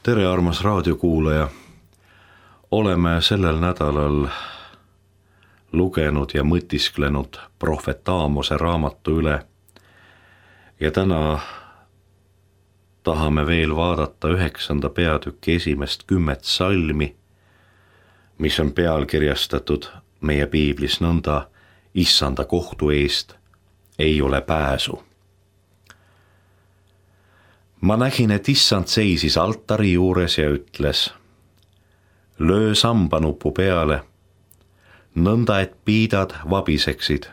Tere, armas raadiokuulaja! Oleme sellel nädalal lugenud ja mõtisklenud prohvet Aamose raamatu üle ja täna tahame veel vaadata 9. peatüki esimest 10 salmi, mis on pealkirjastatud meie piiblis nõnda: Issanda kohtu eest ei ole pääsu. Ma nägin, et Issand seisis altari juures ja ütles: löö sambanupu peale, nõnda et piidad vabiseksid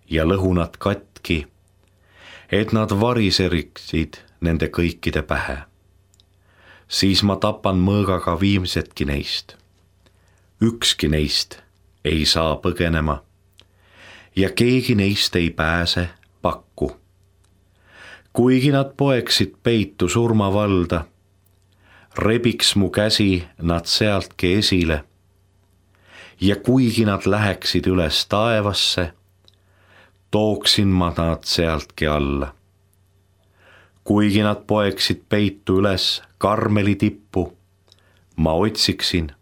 ja lõhunad katki, et nad variseriksid nende kõikide pähe. Siis ma tapan mõõgaga viimsetki neist. Ükski neist ei saa põgenema ja keegi neist ei pääse pakku. Kuigi nad poeksid peitu surmavalda, rebiks mu käsi nad sealtki esile ja kuigi nad läheksid üles taevasse, tooksin ma nad sealtki alla. Kuigi nad poeksid peitu üles Karmeli tippu, ma otsiksin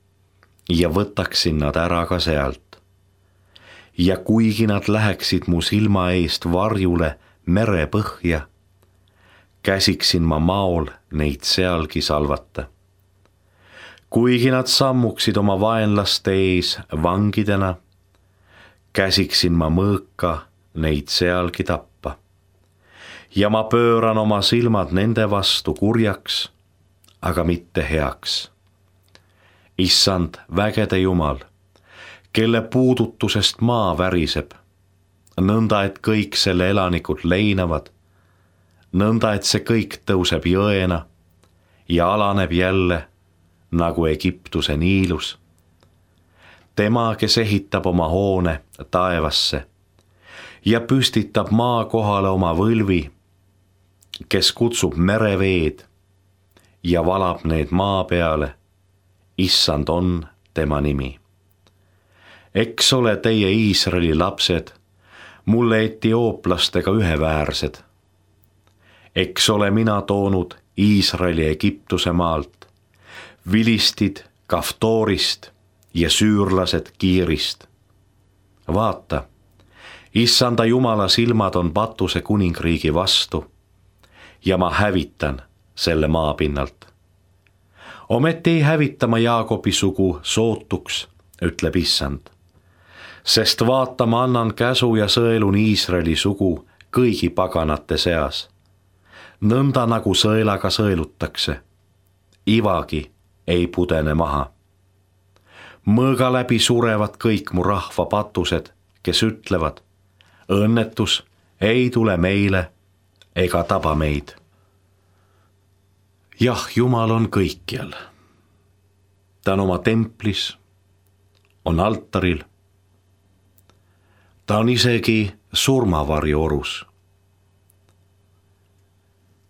ja võtaksin nad ära ka sealt. Ja kuigi nad läheksid mu silma eest varjule merepõhja, käsiksin ma maol neid sealgi salvata. Kuigi nad sammuksid oma vaenlaste ees vangidena, käsiksin ma mõõka neid sealgi tappa. Ja ma pööran oma silmad nende vastu kurjaks, aga mitte heaks. Issand, vägede Jumal, kelle puudutusest maa väriseb, nõnda et kõik selle elanikud leinavad, nõnda et see kõik tõuseb jõena ja alaneb jälle nagu Egiptuse Niilus. Tema, kes ehitab oma hoone taevasse ja püstitab maa kohale oma võlvi, kes kutsub mereveed ja valab need maa peale, Issand on tema nimi. Eks ole teie Iisraeli lapsed mulle etiooplastega üheväärsed. Eks ole mina toonud Iisraeli Egiptuse maalt, vilistid Kaftorist ja süürlased Kiirist. Vaata, Issanda Jumala silmad on Patuse kuningriigi vastu ja ma hävitan selle maapinnalt. Ometi ei hävita ma Jaakobi sugu sootuks, ütleb Issand, sest vaata, ma annan käsu ja sõelun Iisraeli sugu kõigi paganate seas. Nõnda nagu sõelaga sõelutakse, ivagi ei pudene maha. Mõõga läbi surevad kõik mu rahva patused, kes ütlevad: õnnetus ei tule meile ega taba meid. Jah, Jumal on kõikjal. Ta on oma templis, on altaril. Ta on isegi surmavarju orus.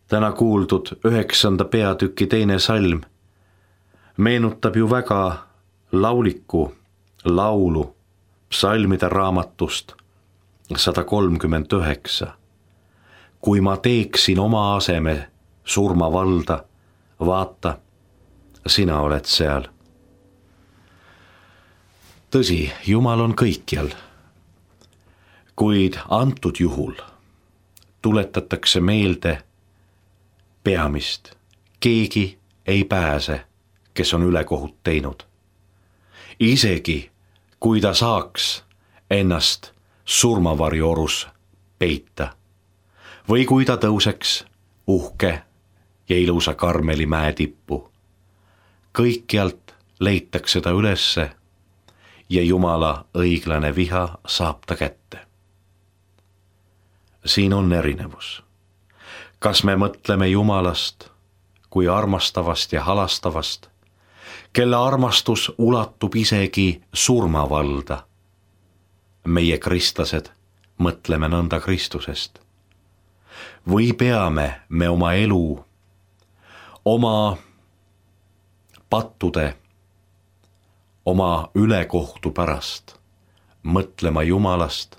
Täna kuuldud 9. peatüki 2. salm meenutab ju väga lauliku laulu psalmide raamatust 139. Kui ma teeksin oma aseme surmavalda, vaata, sina oled seal. Tõsi, Jumal on kõikjal, kuid antud juhul tuletatakse meelde peamist: keegi ei pääse, kes on ülekohut teinud. Isegi kui ta saaks ennast surmavarju orus peita või kui ta tõuseks uhke ja ilusa Karmeli mäe tippu, kõikjalt leitakse ta ülesse ja Jumala õiglane viha saab ta kätte. Siin on erinevus. Kas me mõtleme Jumalast kui armastavast ja halastavast, kelle armastus ulatub isegi surmavalda? Meie kristlased mõtleme nõnda Kristusest. Või peame me oma elu, oma pattude, oma ülekohtu pärast mõtlema Jumalast,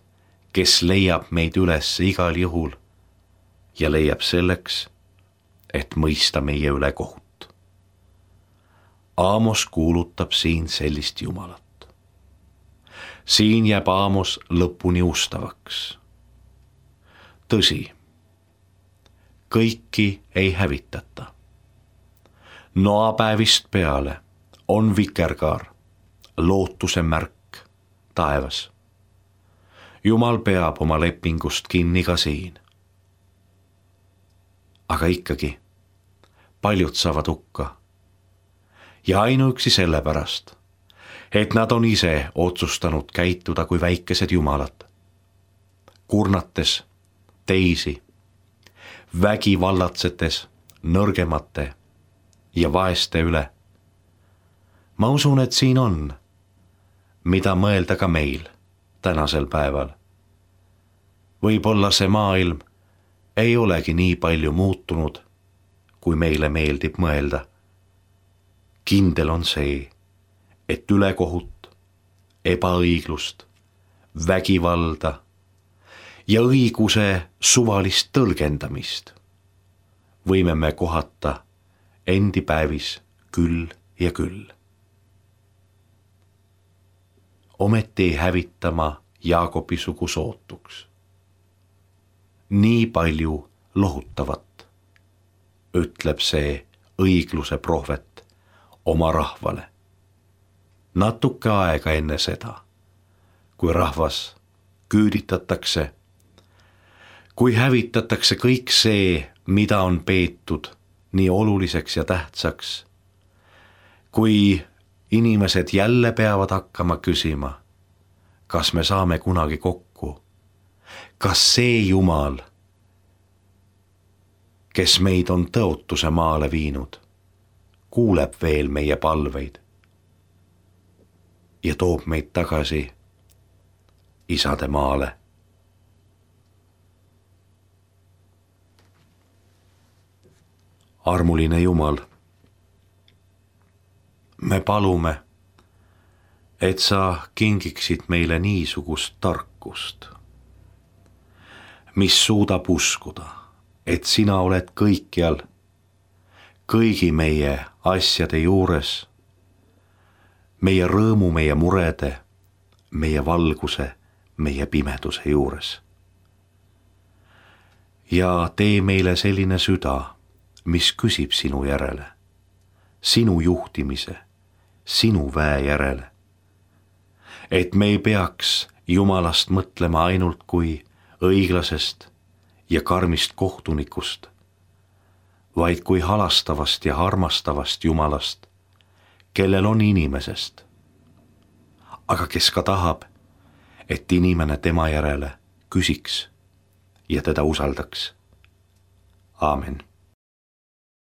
kes leiab meid üles igal juhul ja leiab selleks, et mõista meie üle kohut. Aamos kuulutab siin sellist Jumalat. Siin jääb Aamos lõpuni ustavaks. Tõsi, kõiki ei hävitata. Noapäevist peale on vikerkaar, lootuse märk taevas. Jumal peab oma lepingust kinni ka siin. Aga ikkagi paljud saavad hukka. Ja ainuüksi sellepärast, et nad on ise otsustanud käituda kui väikesed jumalad, kurnates teisi, vägivallatsetes nõrgemate ja vaeste üle. Ma usun, et siin on, mida mõelda ka meil tänasel päeval. Võib-olla see maailm ei olegi nii palju muutunud, kui meile meeldib mõelda. Kindel on see, et ülekohut, ebaõiglust, vägivalda ja õiguse suvalist tõlgendamist võime me kohata endi päevis küll ja küll. Ometi ei hävita ma Jaakobi sugu sootuks. Nii palju lohutavat, ütleb see õigluse prohvet oma rahvale. Natuke aega enne seda, kui rahvas küüditatakse, kui hävitatakse kõik see, mida on peetud nii oluliseks ja tähtsaks, kui inimesed jälle peavad hakkama küsima, kas me saame kunagi kokku, kas see Jumal, kes meid on tõotuse maale viinud, kuuleb veel meie palveid ja toob meid tagasi isade maale. Armuline Jumal, me palume, et sa kingiksid meile niisugust tarkust, mis suudab uskuda, et sina oled kõikjal, kõigi meie asjade juures, meie rõõmu, meie murede, meie valguse, meie pimeduse juures. Ja tee meile selline süda, mis küsib sinu järele, sinu juhtimise, sinu väe järele. Et me ei peaks Jumalast mõtlema ainult kui õiglasest ja karmist kohtunikust, vaid kui halastavast ja armastavast Jumalast, kellel on inimesest, aga kes ka tahab, et inimene tema järele küsiks ja teda usaldaks. Aamen.